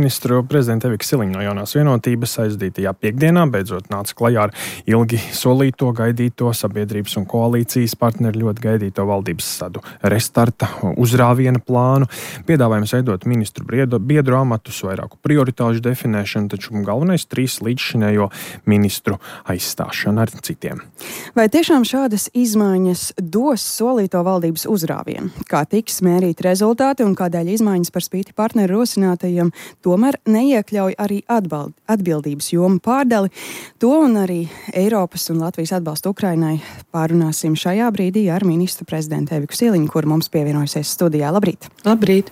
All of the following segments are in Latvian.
Ministru prezidenta Evika Siliņa no Jaunās vienotības aizdītajā piektdienā beidzot nāca klajā ar ilgi solīto, gaidīto sabiedrības un koalīcijas partneri ļoti gaidīto valdības sadu restarta uzrāviena plānu. Piedāvājums veidot ministru biedru amatus, vairāku prioritāžu definēšanu, taču galvenais 3 līdzšinējo ministru aizstāšana ar citiem. Vai tiešām šādas izmaiņas dos solīto valdības uzrāvienu? Kā tiks mērīt rezultāti un kādēļ izmaiņas par spīti partneru rosinātajiem tomēr neiekļauj arī atbildības jomu pārdali? To un arī Eiropas un Latvijas atbalstu Ukrainai pārunāsim šajā brīdī ar ministru prezidentu Eviku Siliņu, kur mums pievienojusies studijā. Labrīt! Labrīt!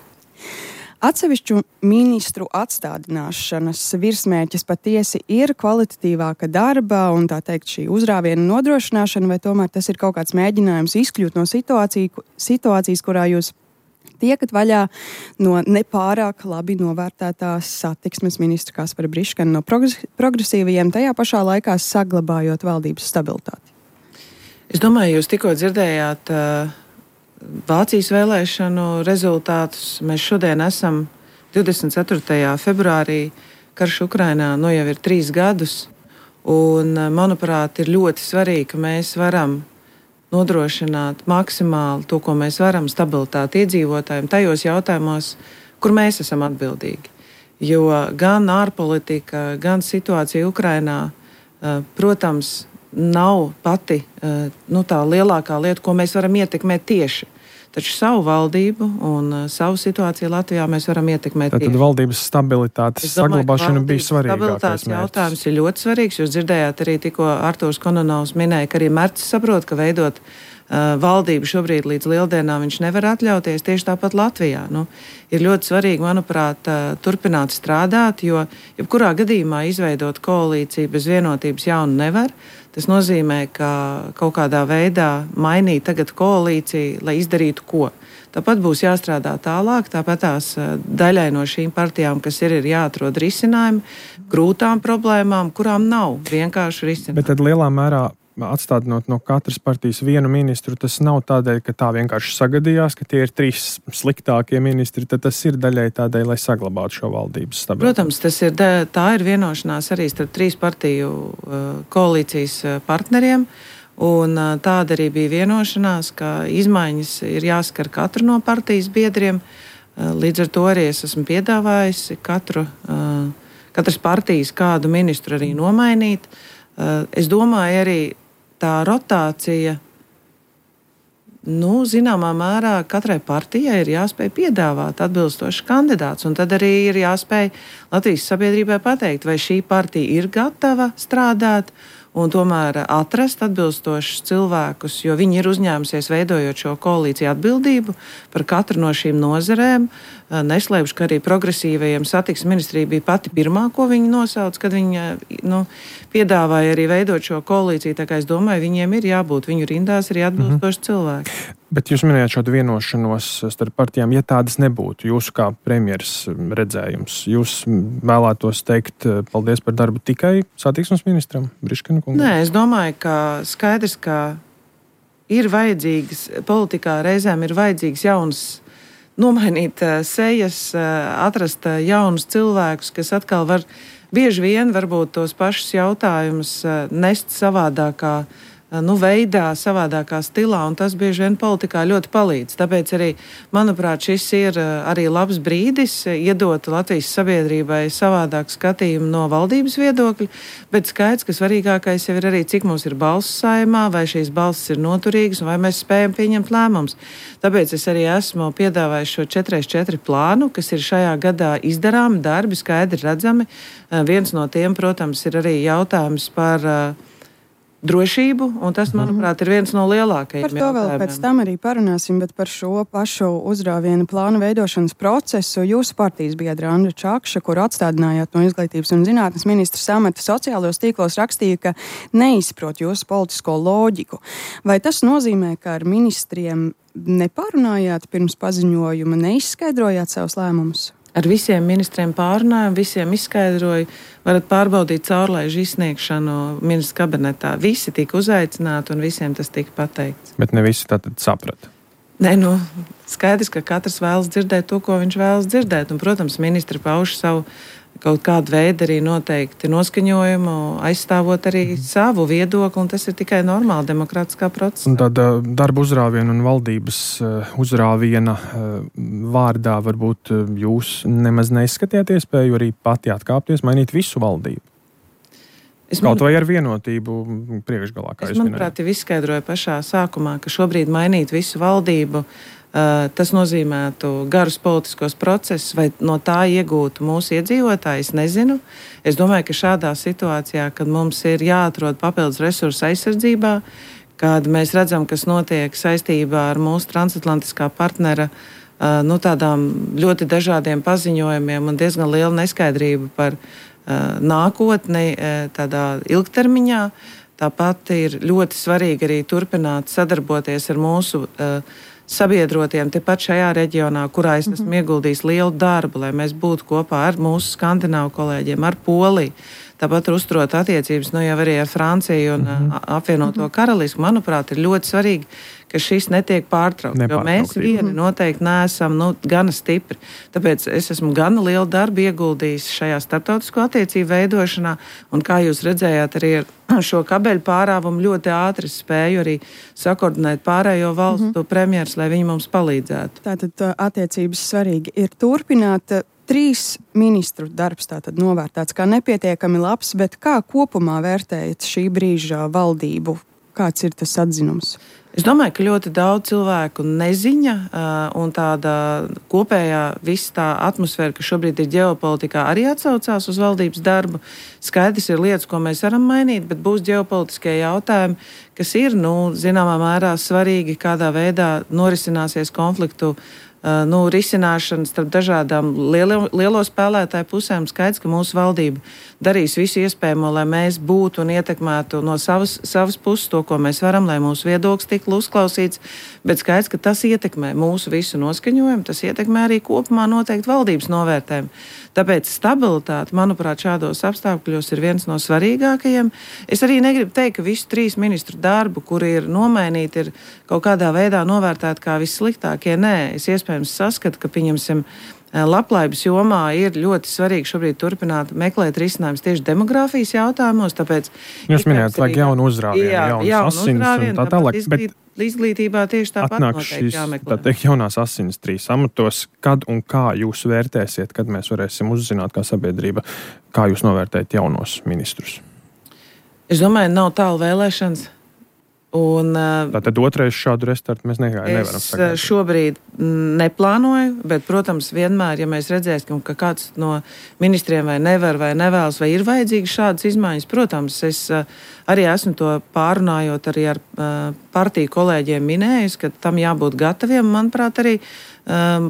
Atsevišķu ministru atstādināšanas virsmērķis patiesi ir kvalitatīvāka darba un tā teikt šī uzrāviena nodrošināšana, vai tomēr tas ir kaut kāds mēģinājums izkļūt no situācijas, kurā jūs tiekat vaļā no nepārāk labi novērtētās satiksmes ministra Kaspara Briškana no progresīvajiem, tajā pašā laikā saglabājot valdības stabilitāti? Es domāju, jūs tikko dzirdējāt Vācijas vēlēšanu rezultātus. Mēs šodien esam 24. februārī, karš Ukrainā jau ir 3 gadus, un, manuprāt, ir ļoti svarīgi, ka mēs varam nodrošināt maksimāli to, ko mēs varam, stabilitāti iedzīvotājiem tajos jautājumos, kur mēs esam atbildīgi. Jo gan ārpolitika, gan situācija Ukrainā, protams, nav pati tā lielākā lieta, ko mēs varam ietekmēt tieši. Taču savu valdību un savu situāciju Latvijā mēs varam ietekmēt tieši. Tad valdības stabilitātes saglabāšana bija svarīgākais stabilitātes jautājums ir ļoti svarīgs. Jūs dzirdējāt arī tikko Artūrs Kononovs minēja, ka arī Mercis saprot, ka veidot valdību šobrīd līdz Lieldienām viņš nevar atļauties. Tieši tāpat Latvijā. Ir ļoti svarīgi, manuprāt, turpināt strādāt, jo jebkurā gadījumā izveidot koalīciju bez vienotības jaunu nevar. Tas nozīmē, ka kaut kādā veidā mainīt tagad koalīciju, lai izdarītu ko. Tāpat būs jāstrādā tālāk, tāpat tās daļai no šīm partijām, kas ir jāatrod risinājumi grūtām problēmām, kurām nav vienkārši risinājumi. Bet tad lielā mērā atstādinot no katras partijas vienu ministru, tas nav tādēļ, ka tā vienkārši sagadījās, ka tie ir 3 sliktākie ministri, tad tas ir daļai tādēļ, lai saglabātu šo valdības stabilitāti. Protams, tā ir vienošanās arī starp 3 partiju koalīcijas partneriem, un tāda arī bija vienošanās, ka izmaiņas ir jāskar katru no partijas biedriem. Līdz ar to arī es esmu piedāvājusi katras partijas kādu ministru arī nomainīt. Es domāju arī tā rotācija, zināmā mērā katrai partijai ir jāspēj piedāvāt atbilstošs kandidāts, un tad arī ir jāspēj Latvijas sabiedrībai pateikt, vai šī partija ir gatava strādāt un tomēr atrast atbilstošus cilvēkus, jo viņi ir uzņēmusies veidojot šo koalīciju atbildību par katru no šīm nozarēm. Neslēpšu, ka arī progresīvajiem satiksmes ministrija bija pati pirmā, ko viņi nosauc, kad viņi piedāvāja arī veidot šo koalīciju. Tā kā es domāju, viņiem ir jābūt viņu rindās arī atbilstoši cilvēki. Bet jūs minējāt šo vienošanos starp partijām, ja tādas nebūtu. Jūsu kā premjeras redzējums, jūs vēlētos teikt paldies par darbu tikai satiksmes ministram Briškana kungam? Nē, es domāju, ka skaidrs, ka ir vajadzīgas, politikā reizēm ir vajadzīgas jaunas, nomainīt sejas, atrast jaunus cilvēkus, kas atkal var bieži vien varbūt tos pašus jautājumus nest savādākā veidā, savādākā stilā, un tas bieži vien politikā ļoti palīdz. Tāpēc arī, manuprāt, šis ir arī labs brīdis iedot Latvijas sabiedrībai savādāku skatījumu no valdības viedokļa, bet skaidrs, ka svarīgākais jau ir arī, cik mums ir balss Saeimā, vai šīs balss ir noturīgas, un vai mēs spējam pieņemt lēmumus. Tāpēc es arī esmu piedāvājis šo 4x4 plānu, kas ir šajā gadā izdarāmi darbi, skaidri redzami. Viens no tiem, protams, ir arī jautājums par drošību, un tas, manuprāt, ir viens no lielākajiem jautājumiem. Par to vēl pēc tam arī parunāsim, bet par šo pašu uzrāvienu plānu veidošanas procesu jūsu partijas biedra Andra Čakša, kuru atstādinājāt no Izglītības un zinātnes ministra amata, sociālajos tīklos rakstīja, ka neizprot jūsu politisko loģiku. Vai tas nozīmē, ka ar ministriem nepārunājāt pirms paziņojuma, neizskaidrojāt savus lēmumus? Ar visiem ministriem pārunājām, visiem izskaidroju, varat pārbaudīt caurlaižu izsniegšanu ministra kabinetā. Visi tika uzaicināti un visiem tas tika pateikts. Bet ne visi tātad saprata. Nē, skaidrs, ka katrs vēlas dzirdēt to, ko viņš vēlas dzirdēt. Un, protams, ministri pauž savu kaut kādu veidu arī noteikti noskaņojumu, aizstāvot arī savu viedokli, un tas ir tikai normāli demokrātiskā procesā. Un tāda darba uzrāviena un valdības uzrāviena vārdā varbūt jūs nemaz neizskatījāt iespēju arī pati atkāpties, mainīt visu valdību? Kaut vai ar vienotību priekšgalā, kā jūs minējāt. Manuprāt, jau izskaidroju pašā sākumā, ka šobrīd mainīt visu valdību, tas nozīmētu garus politiskos procesus, vai no tā iegūtu mūsu iedzīvotāji, es nezinu. Es domāju, ka šādā situācijā, kad mums ir jāatrod papildus resursu aizsardzībā, kad mēs redzam, kas notiek saistībā ar mūsu transatlantiskā partnera tādām ļoti dažādiem paziņojumiem un diezgan lielu neskaidrību par nākotni tādā ilgtermiņā. Tāpat ir ļoti svarīgi arī turpināt sadarboties ar mūsu sabiedrotiem tepat šajā reģionā, kurā es esmu ieguldījis lielu darbu, lai mēs būtu kopā ar mūsu skandināvu kolēģiem, ar Poliju. Tāpat uzturot attiecības jau arī ar Franciju un apvienoto karalisku, manuprāt, ir ļoti svarīgi, ka šis netiek pārtraukts. Jo mēs vieni noteikti neesam gana stipri. Tāpēc es esmu gana lielu darbu ieguldījis šajā starptautisko attiecību veidošanā, un kā jūs redzējāt arī ar šo kabeļu pārāvumu ļoti ātri spēju arī sakoordinēt pārējo valstu premjerus, lai viņi mums palīdzētu. Tātad attiecības svarīgi ir turpināt. 3 ministru darbs tātad novērtēts kā nepietiekami labs, bet kā kopumā vērtējat šī brīža valdību? Kāds ir tas atzinums? Es domāju, ka ļoti daudz cilvēku neziņa un tāda kopējā visa tā atmosfēra, kas šobrīd ir ģeopolitikā, arī atsaucās uz valdības darbu. Skaidrs ir lietas, ko mēs varam mainīt, bet būs ģeopolitiskie jautājumi, kas ir, zināmā mērā svarīgi, kādā veidā norisināsies konfliktu risināšana starp dažādām lielo spēlētāju pusēm. Skaidrs, ka mūsu valdība darīs visu iespējamo, lai mēs būtu un ietekmētu no savas puses to, ko mēs varam, lai mūsu viedoklis tiktu uzklausīts, bet skaidrs, ka tas ietekmē mūsu visu noskaņojumu, tas ietekmē arī kopumā noteikti valdības novērtējumu. Tāpēc stabilitāte, manuprāt, šādos apstākļos ir viens no svarīgākajiem. Es arī negribu teikt, ka visu 3 ministru darbu, kuri ir nomainīti, ir kaut kādā veidā novērtēti kā vissliktākie. Nē, es iespējams saskatu, ka, pieņemsim, labklājības jomā ir ļoti svarīgi šobrīd turpināt meklēt risinājumus tieši demogrāfijas jautājumos. Tāpēc jūs minējāt, vajag jaunu uzrāvienu, jaunas asins un tā tālāk. Bet izglītībā tieši tāpat noteikti jāmeklē. Tā teikt, jaunās asins 3 amatos, kad un kā jūs vērtēsiet, kad mēs varēsim uzzināt kā sabiedrība, kā jūs novērtējat jaunos ministrus? Es domāju, nav tālu vēlēšanas. Tātad otrais šādu restartu mēs nevaram sagaidīt. Es šobrīd neplānoju, bet, protams, vienmēr, ja mēs redzēsim, ka kāds no ministriem vai nevar, vai nevēlas, vai ir vajadzīgas šādas izmaiņas, protams, es arī esmu to pārunājot arī ar partiju kolēģiem minējis, ka tam jābūt gataviem. Manuprāt, arī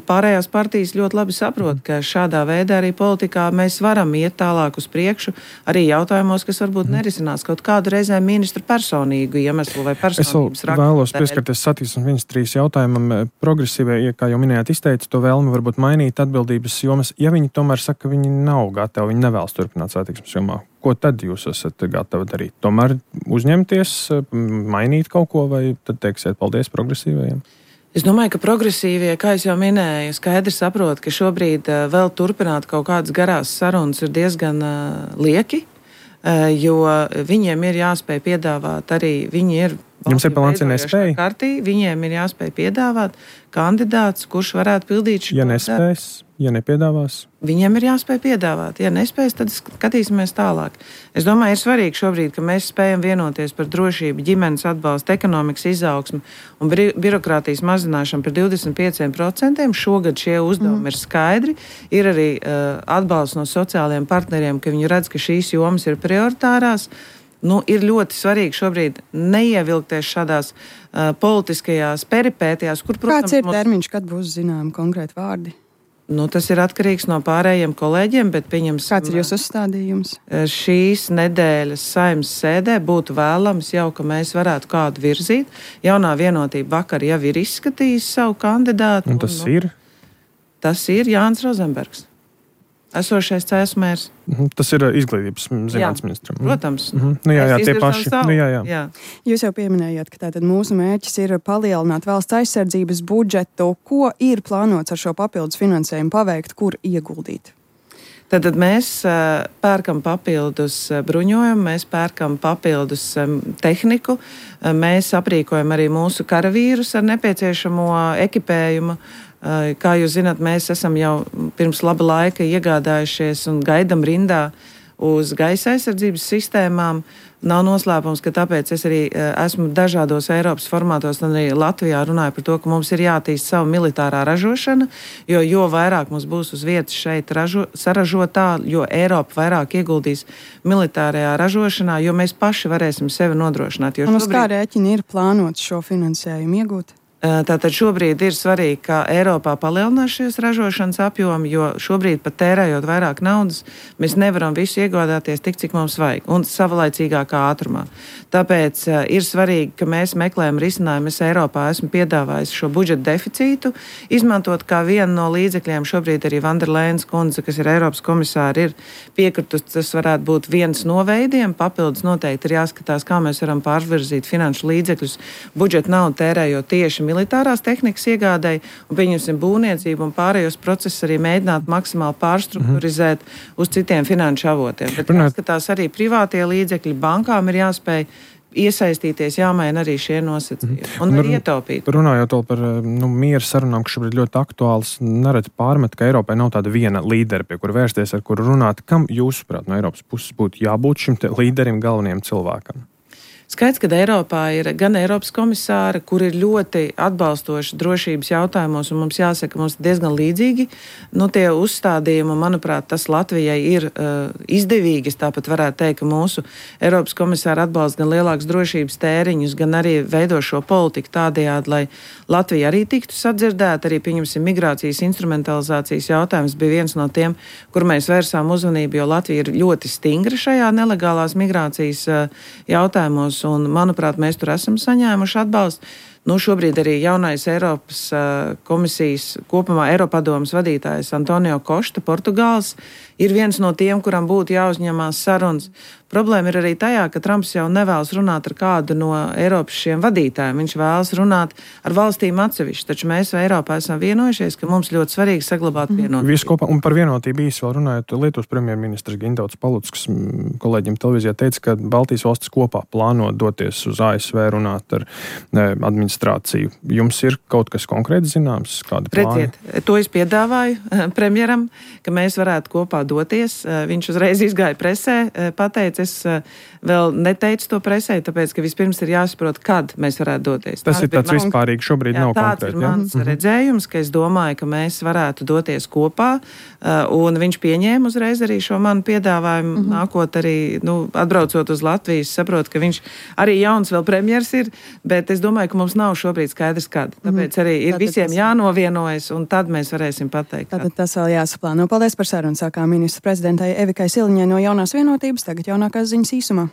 pārējās partijas ļoti labi saprot, ka šādā veidā arī politikā mēs varam iet tālāk uz priekšu, arī jautājumos, kas varbūt nerisinās kaut kādu reizēm ministru personīgu iemeslu vai personības raksturu. Es vēlos pieskarties satiksmes ministrijas jautājumam. Progresīvie, kā jau minējāt, izteica to vēlmi varbūt mainīt atbildības jomas. Ja viņi tomēr saka, ka viņi nav gatavi, viņi nevēlas turpināt satiksmes jomā, ko tad jūs esat gatavi darīt? Tomēr uzņemties, mainīt kaut ko, vai tad teiksiet paldies progresīvajiem? Es domāju, ka progresīvie, kā es jau minēju, skaidri saprot, ka šobrīd vēl turpināt kaut kādas garās sarunas ir diezgan lieki, jo viņiem ir jāspēj piedāvāt arī, Jums ir plāns, ja nespēj? Viņiem ir jāspēj piedāvāt kandidāts, kurš varētu pildīt šo nespēs, ja nepiedāvās? Viņiem ir jāspēj piedāvāt. Ja nespēs, tad skatīsimies tālāk. Es domāju, ir svarīgi šobrīd, ka mēs spējam vienoties par drošību, ģimenes atbalstu, ekonomikas izaugsmu un birokrātijas mazināšanu par 25%. Šogad šie uzdevumi ir skaidri. Ir arī atbalsts no sociālajiem partneriem, ka viņi redz, ka šīs jomas ir prioritārās. Ir ļoti svarīgi šobrīd neievilkties šādās politiskajās peripētijās, kur, protams, kāds ir termiņš, kad būs zināmi konkrēti vārdi? Tas ir atkarīgs no pārējiem kolēģiem, bet pieņemsim. Kāds ir jūsu uzstādījums? Šīs nedēļas Saeimas sēdē būtu vēlams jau, ka mēs varētu kādu virzīt. Jaunā vienotība vakar jau ir izskatījis savu kandidātu. Un tas ir? Tas ir Jānis Rozenbergs. esošais CS mērs. Tas ir izglītības zinātnes ministram. Protams. Tie paši. Jā. Jūs jau pieminējāt, ka tātad mūsu mērķis ir palielināt valsts aizsardzības budžetu. Ko ir plānots ar šo papildus finansējumu paveikt, kur ieguldīt? Tad mēs pērkam papildus bruņojumu, mēs pērkam papildus tehniku, mēs aprīkojam arī mūsu karavīrus ar nepieciešamo ekipējumu. Kā jūs zināt, mēs esam jau pirms laba laika iegādājušies un gaidam rindā uz gaisa aizsardzības sistēmām. Nav noslēpums, ka tāpēc es arī esmu dažādos Eiropas formātos un arī Latvijā runāju par to, ka mums ir jātīst savu militārā ražošana, jo vairāk mums būs uz vietas šeit saražotā, jo Eiropa vairāk ieguldīs militārajā ražošanā, jo mēs paši varēsim sevi nodrošināt. Un uz kā rēķini ir plānots šo finansējumu iegūt? Tātad šobrīd ir svarīgi, ka Eiropā palielinās šīs ražošanas apjomi, jo šobrīd pat tērējot vairāk naudas, mēs nevaram visu iegādāties tik, cik mums vajag un savlaicīgākā ātrumā. Tāpēc ir svarīgi, ka mēs meklējam risinājumu. Es Eiropā esmu piedāvājis šo budžeta deficītu, izmantot kā vienu no līdzekļiem. Šobrīd arī Vanderlēnas kundze, kas ir Eiropas komisāri, ir piekritus. Tas varētu būt viens no veidiem. Papildus noteikti ir jāskatās, kā mēs varam pārvirzīt finanšu līdzekļus budžeta naudu tērējot tieši militārās tehnikas iegādēji un, pieņemsim, būvniecību un pārējos procesus arī mēģināt maksimāli pārstrukturizēt uz citiem finanšu avotiem. Bet jāskatās arī privātie līdzekļi, bankām ir jāspēj iesaistīties, jāmaina arī šie nosacījumi un arī ietaupīt. Runājot vēl par miera sarunām, kas šobrīd ļoti aktuāls, nereti pārmet, ka Eiropai nav tāda viena līdera, pie kura vērsties, ar kuru runāt. Kam jūsuprāt no Eiropas puses būtu jābūt šim līderim, galvenajam cilvēkam? Skaidrs, ka Eiropā ir gan Eiropas komisāri, kur ir ļoti atbalstoši drošības jautājumos, un mums jāsaka, mums diezgan līdzīgi. Tie uzstādījumi, manuprāt, tas Latvijai ir izdevīgi. Es tāpat varētu teikt, ka mūsu Eiropas komisāri atbalsta gan lielāks drošības tēriņus, gan arī veido šo politiku tādējādi, lai Latvija arī tiktu sadzirdēta. Arī, pieņemsim, migrācijas instrumentalizācijas jautājums bija viens no tiem, kur mēs vērsām uzmanību, jo Latvija ir ļoti stingra šajā nelegālās migrācijas jautājumos. Un, manuprāt, mēs tur esam saņēmuši atbalstu. Šobrīd arī jaunais Eiropas komisijas, kopumā Eiropadomes vadītājs Antonio Kosta, Portugāls, ir viens no tiem, kuram būtu jāuzņemās sarunas. Problēma ir arī tajā, ka Trumps jau nevēlas runāt ar kādu no Eiropas šiem vadītājiem. Viņš vēlas runāt ar valstīm atsevišķi, taču mēs Eiropā esam vienojušies, ka mums ļoti svarīgi saglabāt vienotību. Visu kopā, un par vienotību īsi vēl runājot, Lietuvas premjerministrs Gintauts Palucks kolēģim televīzijā teica, ka Baltijas valstis kopā plāno doties uz ASV runāt ar administrāciju. Jums ir kaut kas konkrēti zināms? Kādi plāni? Redziet, to es piedāvāju premjeram, ka mēs varētu kopā doties. Viņš uzreiz izgāja presē, pateica, es vēl neteicu to presē, tāpēc, ka vispirms ir jāsaprot, kad mēs varētu doties. Tas ir tāds vispārīgi, šobrīd nav konkrēti. Tāds ir mans redzējums, ka es domāju, ka mēs varētu doties kopā, un viņš pieņēma uzreiz arī šo manu piedāvājumu, nākot arī, atbraucot uz Latviju, saprot, ka viņš arī jauns vēl premjers ir, bet es domāju, ka mums nav šobrīd skaidrs, kad. Tāpēc arī ir visiem jānovienojas, un tad mēs varēsim pateikt. Tātad tas vēl jāsaplāno. Paldies par sarunu, sākā ministra prezidentai Evikai Siliņai no Jaunās vienotības. Tagad jaunākās ziņas īsumā.